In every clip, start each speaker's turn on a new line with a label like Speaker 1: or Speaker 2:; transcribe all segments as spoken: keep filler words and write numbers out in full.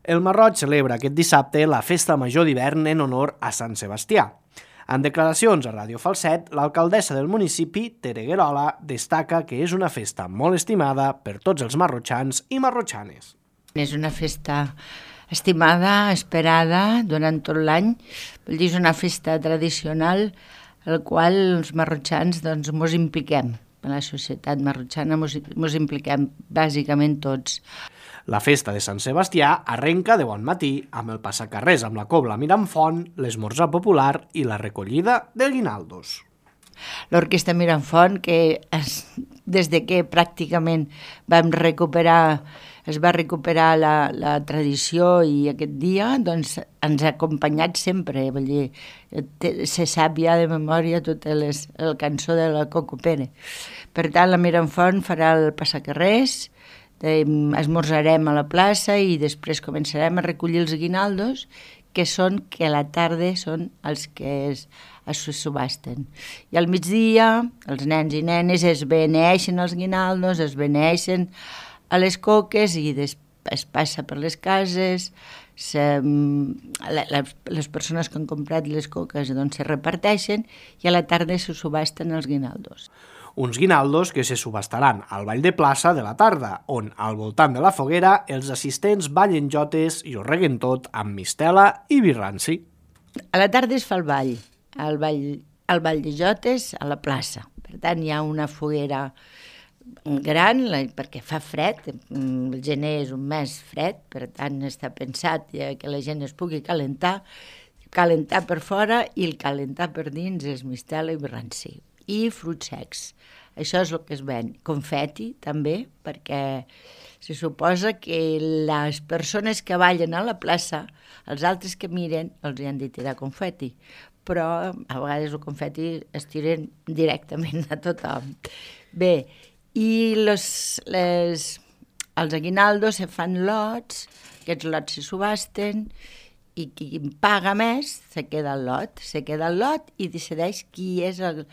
Speaker 1: El Masroig celebra aquest dissabte la festa major d'hivern en honor a Sant Sebastià. En declaracions a Ràdio Falset, l'alcaldessa del municipi, Tere Guerola, destaca que és una festa molt estimada per tots els marrotxans i marrotxanes.
Speaker 2: És una festa estimada, esperada durant tot l'any. Vull dir, és una festa tradicional en la qual els marrotxans doncs, mos impliquem. En la societat marrotxana mos, mos impliquem bàsicament tots.
Speaker 1: La festa de Sant Sebastià arrenca de bon matí amb el passacarrers amb la cobla mirant font, l'esmorzar popular i la recollida de guinaldos.
Speaker 2: L'Orquestra Mirafont, que es, des de que pràcticament vam recuperar, es va recuperar la, la tradició i aquest dia, doncs ens ha acompanyat sempre. Vull dir, se sap ja de memòria tota les, la cançó de la Coco Pere. Per tant, la Mirafont farà el passacarrers, esmorzarem a la plaça i després començarem a recollir els guinaldos, que són que a la tarda són els que es, es subasten. I al migdia els nens i nenes es beneeixen els guinaldos, es beneeixen a les coques i es passa per les cases, se, les, les persones que han comprat les coques doncs, se reparteixen i a la tarda se subasten els guinaldos.
Speaker 1: Uns guinaldos que se subastaran al ball de plaça de la tarda, on, al voltant de la foguera, els assistents ballen jotes i ho reguen tot amb mistela i birranci.
Speaker 2: A la tarda es fa el ball, el ball, el ball de jotes a la plaça. Per tant, hi ha una foguera gran, perquè fa fred, el gener és un mes fred, per tant està pensat que la gent es pugui calentar, calentar per fora i el calentar per dins és mistela i birranci. I fruits secs. Això és el que es ven. Confeti, també, perquè se suposa que les persones que ballen a la plaça, els altres que miren, els han de tirar confeti. Però a vegades el confeti es tiren directament a tothom. Bé, i les, les, els aguinaldos se fan lots, aquests lots se subasten, i qui paga més se queda el lot, se queda el lot i decideix qui és el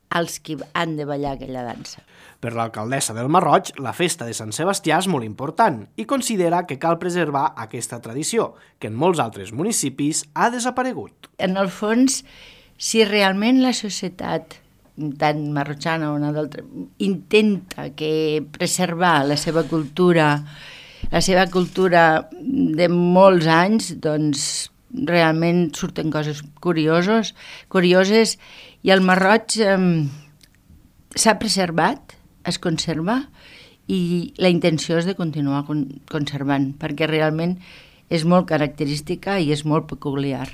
Speaker 2: els que han de ballar aquella dansa.
Speaker 1: Per l'alcaldessa del Masroig, la festa de Sant Sebastià és molt important i considera que cal preservar aquesta tradició, que en molts altres municipis ha desaparegut.
Speaker 2: En el fons, si realment la societat, tant marrotxana o una d'altra, intenta que preservar la seva cultura, la seva cultura de molts anys, doncs realment surten coses curiosos, curioses, i el Masroig eh, s'ha preservat, es conserva, i la intenció és de continuar con- conservant, perquè realment és molt característica i és molt peculiar.